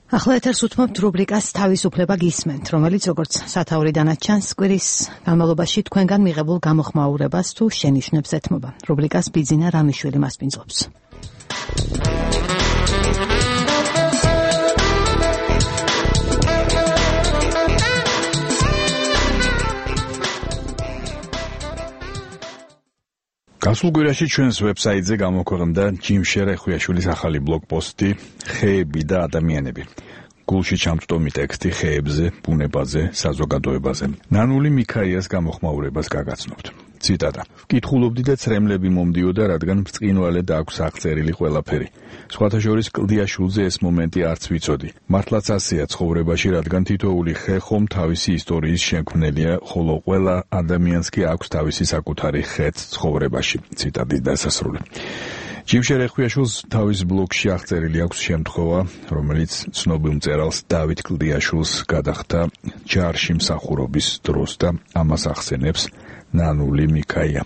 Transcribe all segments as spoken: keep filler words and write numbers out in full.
ახლა ეთერს უთმობთ რუბრიკას თავისუფლება გისმენთ, რომელიც როგორც სათაურიდანაც ჩანს, კვირის განმავლობაში თქვენგან მიღებულ გამოხმაურებას თუ შენიშვნებს ეთმობა. რუბრიკას ბიძინა რამიშვილი მასპინძლობს. გასულ კვირაში ჩვენს ვებსაიტზე გამოქვეყნდა ჯიმშერე ხვიაშვილის ახალი ბლოგპოსტი ხეები და ადამიანები. გულში ჩამწვდომი ტექსტი ხეებზე, ბუნებაზე, საზოგადოებაზე. ნანული მიქაიას გამოხმაურებას გაგაცნობთ. ციტატა. ვკითხულობდი და ცრემლები მომდიოდა, რადგან ბრწყინვალედ აქვს აღწერილი ყველაფერი. სხვათა შორის კლდიაშვილზე ეს მომენტი არც ვიცოდი. მართლაც ასეა ცხოვრებაში, რადგან თითოეული ხე ხომ თავისი ისტორიის შემქმნელია, ხოლო ყველა ადამიანს კი აქვს თავისი საკუთარი ხეც ცხოვრებაში. ციტატის დასასრული. ჯიმშერე ხვიაშვილს თავის ბლოგში აღწერილი აქვს შემთხვევა, რომელიც ცნობილ მწერალს დავით კლდიაშვილს გადახდა ჯარში მსახურობის დროს და ამას ახსენებს ნანული მიქაია.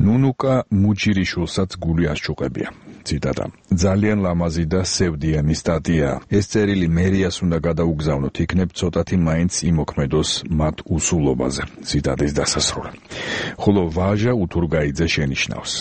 ნუნუკა მუჯირიშვილსაც გული ასჩუყებია. ციტატა. ძალიან ლამაზი და სევდიანი სტატია. ეს წერილი მერიას უნდა გადაუგზავნოთ, იქნებ ცოტათი მაინც იმოქმედოს მათ უსულობაზე. ციტატის დასასრული. ხოლო ვაჟა უთურგაიძე შენიშნავს.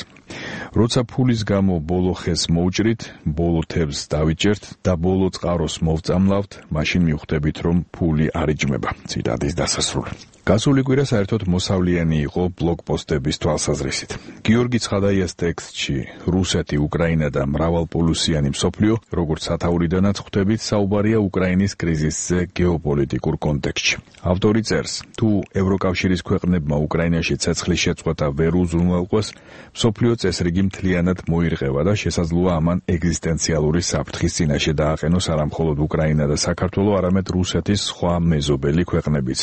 როცა ფულის გამო ბოლო ხეს მოვჭრით, ბოლო თევზს დავიჭერთ და ბოლო წყაროს მოვწამლავთ, მაშინ მივხვდებით, რომ ფული არ იჭმება. ციტატის დასასრული. გასული კვირა საერთოდ მოსავლიანი იყო ბლოგპოსტების თვალსაზრისით. გიორგი ცხადაიას ტექსტში რუსეთი, უკრაინა და მრავალპოლუსიანი მსოფლიო, როგორც სათაურიდანაც ხვდებით, საუბარია უკრაინის კრიზისზე გეოპოლიტიკურ კონტექსტში. ავტორი წერს, თუ ევროკავშირის ქვეყნებმა უკრაინაში ცეცხლის შეწყვეტა ვერ უზრუნველყვეს, მსოფლიო წესრიგი მთლიანად მოირღევა და შესაძლოა ამან ეგზისტენციალური საფრთხის წინაშე დააყენოს არა მხოლოდ უკრაინა და საქართველო, არამედ რუსეთის სხვა მეზობელი ქვეყნებიც.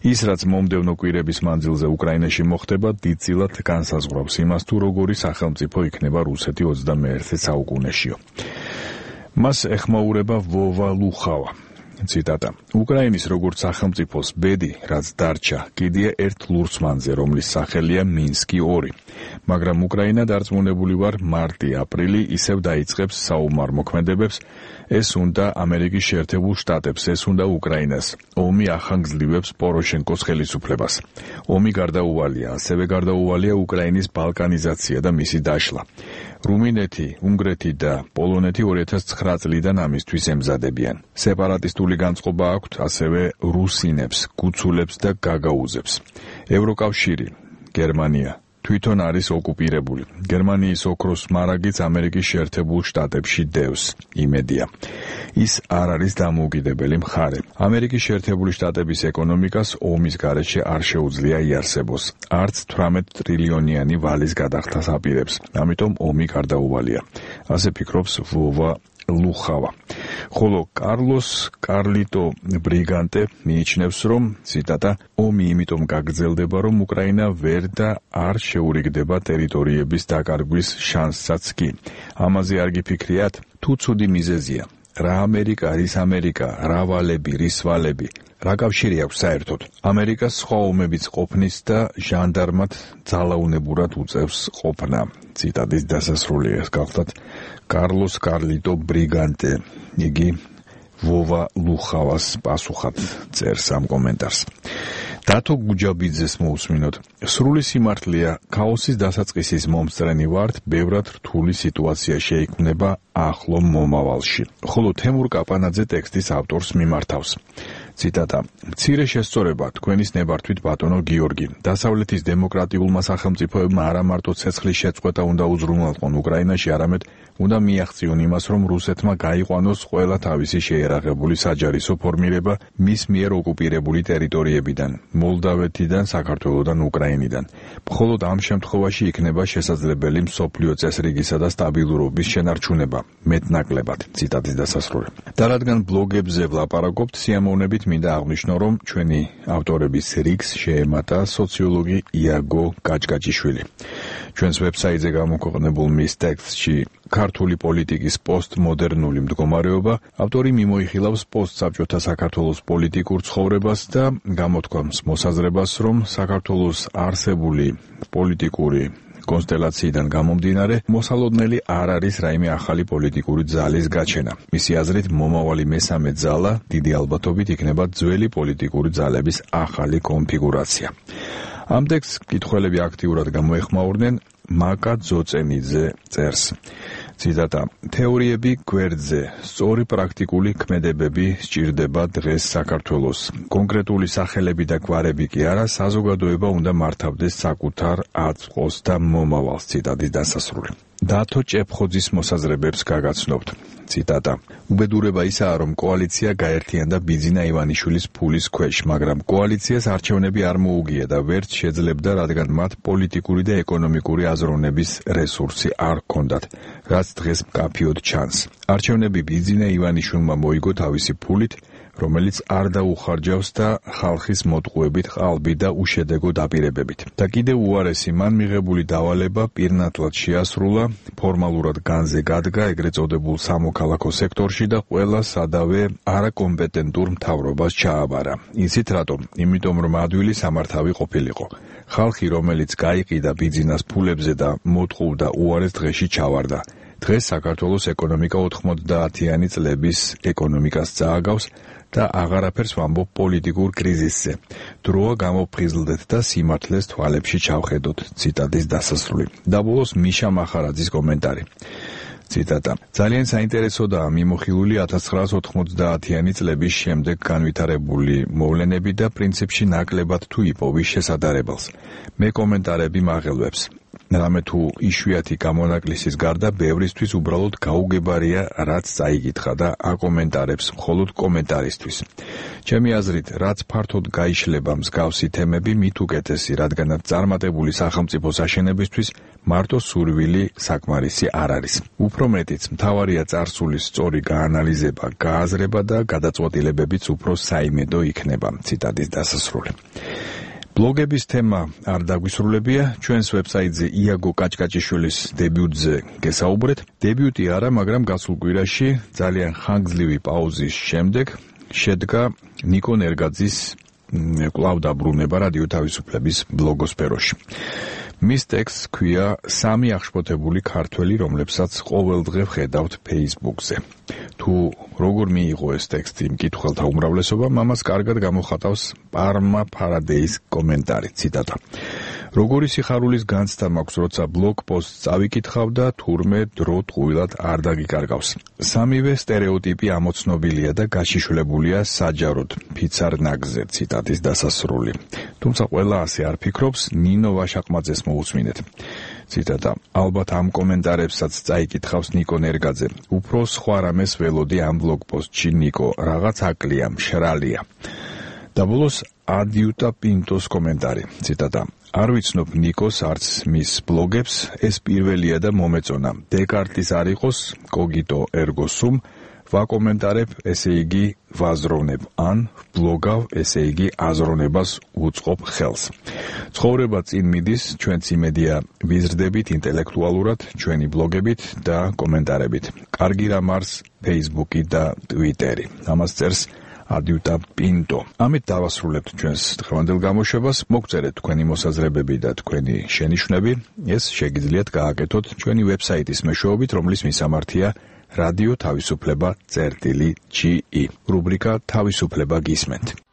ის, რაც მომდევნო კვირების მანძილზე უკრაინაში მოხდება, დიდწილად განსაზღვრავს იმას, თუ როგორი სახელმწიფო იქნება რუსეთი ოცდამეერთე საუკუნეშიო. მას ეხმაურება ვოვა ლუხავა. ციტატა. უკრაინის როგორც სახელმწიფოს ბედი, რაც დარჩა, კიდია ერთ ლურსმანზე, რომლის სახელია მინსკი ორი. მაგრამ უკრაინა დარწმუნებული ვარ, მარტი-აპრილი ისევ დაიწყებს საომარ მოქმედებებს, ეს უნდა ამერიკის შეერთებულ შტატებს, ეს უნდა უკრაინას. ომი ახანგრძლივებს პოროშენკოს ხელისუფლებას. ომი გარდაუვალია, ასევე გარდაუვალია უკრაინის ბალკანიზაცია და მისი დაშლა. რუმინეთი, უნგრეთი და პოლონეთი ორი ათას ცხრა წლიდან ამისთვის ემზადებიან. სეპარატისტული განწყობა აქვთ ასევე რუსინებს, გუცულებს და გაგაუზებს. ევროკავშირი, გერმანია თვითონ არის ოკუპირებული. გერმანიის ოქროს მარაგიც ამერიკის შეერთებულ შტატებში დევს. იმედია. ის არ არის დამოუკიდებელი მხარე. ამერიკის შეერთებული შტატების ეკონომიკას ომის გარეშე არ შეუძლია იარსებოს. არც თვრამეტ ტრილიონიანი ვალის გადახდას აპირებს. ამიტომ ომი გარდაუვალია. ასე ფიქრობს ვოვა ლუხავა. ხოლო კარლოს კარლიტო ბრიგანტე მიიჩნევს, რომ ციტატა, ომი იმიტომ გაგრძელდება, რომ უკრაინა ვერ და არ შეურიგდება ტერიტორიების დაკარგვის შანსსაც კი. ამაზე არ გიფიქრიათ? თუ ცუდი მიზეზია. რა ამერიკა არის ამერიკა, რა ვალები, რის ვალები. რა კავშირი აქვს საერთოდ? ამერიკას სხვა ომებიც ყოფნის და ჟანდარმად ძალაუნებურად უწევს ყოფნა. ციტატის დასასრულია. ეს გახლდათ კარლოს კარლიტო ბრიგანტე. იგი ვოვა ლუხავას პასუხად წერს ამ კომენტარს. დათო გუჯაბიძეს მოусმინოთ. სრული სიმართლეა, ქაოსის დასაწყისის მომსწრენი ვართ, ბევრად რთული სიტუაცია შეიქმნება ახლო მომავალში. ხოლო თემურ კაპანაძე ტექსტის ავტორს მიმართავს. ციტატა. მცირე შესწორება თქვენის ნებართვით ბატონო გიორგი. დასავლეთის დემოკრატიულმა სახელმწიფოებმა არა მარტო ცეცხლის შეწყვეტა უნდა უზრუნველყონ უკრაინაში, არამედ უნდა მიაღწიონ იმას, რომ რუსეთმა გაიყვანოს ყველა თავისი შეერაღებული საჯარისო ფორმირება მის მიერ ოკუპირებული ტერიტორიებიდან, მოლდავეთიდან, საქართველოდან, უკრაინიდან. მხოლოდ ამ შემთხვევაში იქნება შესაძლებელი მსოფლიო წესრიგისა და სტაბილურობის შენარჩუნება, მეტნაკლებად. ციტატის დასასრული. და რადგან ბლოგებზე ვლაპარაკობთ, სიამოვნებით მინდა აღნიშნო, რომ ჩვენი ავტორების რიგს შეემატა სოციოლოგი იაგო გაჭგაჭიშვილი. ჩვენს ვებსაიტზე გამოქვეყნებულ მის ტექსტში ქართული პოლიტიკის პოსტმოდერნული მდგომარეობა, ავტორი მიმოიხილავს პოსტსაბჭოთა საქართველოს პოლიტიკურ ცხოვრებას და გამოთქვამს მოსაზრებას, რომ საქართველოს არსებული პოლიტიკური კონსტელაციიდან გამომდინარე, მოსალოდნელი არ არის რაიმე ახალი პოლიტიკური ძალის გაჩენა. მისი აზრით, მომავალი მესამე ძალა დიდი ალბათობით იქნება ძველი პოლიტიკური ძალების ახალი კონფიგურაცია. ამ ტექსტს მკითხველები აქტიურად გამოეხმაურნენ. მაკა ძოწენიძე წერს. ციტატა: თეორიები გვერდზე, სწორი პრაქტიკული ქმედებები სჭირდება დღეს საქართველოს. კონკრეტული სახელები და გვარები კი არა, საზოგადოება უნდა მართავდეს საკუთარ აწმყოს და მომავალს. ციტატის დასასრული. დათო ჭეფხოძის მოსაზრებებს გაგაცნობთ. ციტატა: უბედურება ისაა, რომ კოალიცია გაერთიანდა ბიძინა ივანიშვილის ფულის ქვეშ, მაგრამ კოალიციას არჩევნები არ მოუგია და ვერც შეძლებდა, რადგან მათ პოლიტიკური და ეკონომიკური აზროვნების რესურსი არ ჰქონდათ, რაც დღეს მკაფიოდ ჩანს. არჩევნები ბიძინა ივანიშვილმა მოიგო თავისი ფულით, რომელიც არ დაუხარჯავს და ხალხის მოტყუებით ყალბი და უშედეგო დაპირებებით. და კიდევ უარესი, მან მიღებული დავალება პირნათლად შეასრულა, ფორმალურად განზე გადგა ეგრეთ წოდებულ სამოქალაქო სექტორში და ყველა სადავე არაკომპეტენტურ მთავრობას ჩააბარა. იცით რატომ? იმიტომ რომ ადვილი სამართავი ყოფილიყო. ხალხი, რომელიც გაიყიდა ბიძინას ფულებზე და მოტყუდა, უარეს დღეში ჩავარდა. დღეს საქართველოს ეკონომიკა ოთხმოცდაათიანი წლების ეკონომიკას წააგავს და აღარაფერს ვამბობ პოლიტიკურ კრიზისზე. დროა გამოფხიზლდეთ და სიმართლეს თვალებში ჩავხედოთ. ციტატის დასასრული. და ბოლოს მიშა მახარაძის კომენტარი. ციტატა: ძალიან საინტერესოდაა მიმოხილული ათას ცხრაას ოთხმოცდაათიანი წლების შემდეგ განვითარებული მოვლენები და პრინციპში ნაკლებად თუ იპოვის შესადარებელს. მე კომენტარები მაღელვებს. რამე თუ იშვიათი გამონაკლისის გარდა ბევრისთვის უბრალოდ გაუგებარია, რაც წაიკითხა და აკომენტარებს მხოლოდ კომენტარისთვის. ჩემი აზრით, რაც ფართოდ გაიშლება მსგავსი თემები, მით უკეთესი, რადგანაც წარმატებული სახელმწიფოს აშენებისთვის მარტო სურვილი საკმარისი არ არის. უფრო მეტიც, მთავარია წარსულის სწორი გაანალიზება, გააზრება და გადაწყვეტილებებიც უფრო საიმედო იქნება. ციტატის დასასრული. ბლოგების თემა არ დაგვისრულებია, ჩვენს ვებსაიტზე იაგო კაჭკაჭიშვილის დებიუტზე გესაუბრეთ. დებიუტი არა, მაგრამ გასულ კვირაში ძალიან ხანგრძლივი პაუზის შემდეგ შედგა ნიკო ნერგაძის კვლავ დაბრუნება რადიო თავისუფლების ბლოგოსფეროში. მის ტექსტს ჰქვია სამი აღშფოთებული ქართველი, რომლებსაც ყოველდღე ვხედავთ Facebook-ზე. თუ როგორ მიიღო ეს ტექსტი მკითხველთა უმრავლესობამ, ამას კარგად გამოხატავს პარმა ფარადეის კომენტარი. ციტატა: როგორი სიხარულის განცდა მაქვს, როცა ბლოგ პოსტს წავიკითხავ და თურმე დრო ტყუილად არ დაგიკარგავს. სამივე სტერეოტიპი ამოცნობილია და გაშიშვლებულია საჯაროდ ფიცარ ნაგზე. ციტატის დასასრული. თუმცა ყველა ასე არ ფიქრობს, ნინო ვაშაყმაძეს მოусმინეთ. ციტატა: ალბათ ამ კომენტარებსაც წაიკითხავს ნიკო ნერგაძე. უფრო სხვა რამეს ველოდი ამ ბლოგ პოსტში ნიკო, რაღაც აკლია, მშრალია. და ბოლოს ადიუტა პინტოს კომენტარი. ციტატა: არ ვიცნობ ნიკოს არც მის ბლოგებს, ეს პირველია და მომეწონა. დეკარტის არ იყოს, კოგიტო ერგო სუმ, ვაკომენტარებ, ესე იგი ვაზროვნებ, ან ბლოგავ, ესე იგი აზროვნებას უწყობ ხელს. ცხოვრება წინ მიდის, ჩვენც იმედია ვიზრდებით ინტელექტუალურად, ჩვენი ბლოგებით და კომენტარებით. კარგი რამ არის Facebook-ი და Twitter-ი. ამას წერს ადიუტა პინტო. ამით დავასრულებთ ჩვენს დღევანდელ გამოშვებას. მოგწერეთ თქვენი მოსაზრებები და თქვენი შენიშვნები. ეს შეგიძლიათ გააკეთოთ ჩვენი ვებსაიტის მეშვეობით, რომლის მისამართია რადიო თავისუფლება წერტილი ჯი ი. რუბრიკა თავისუფლება გისმენთ.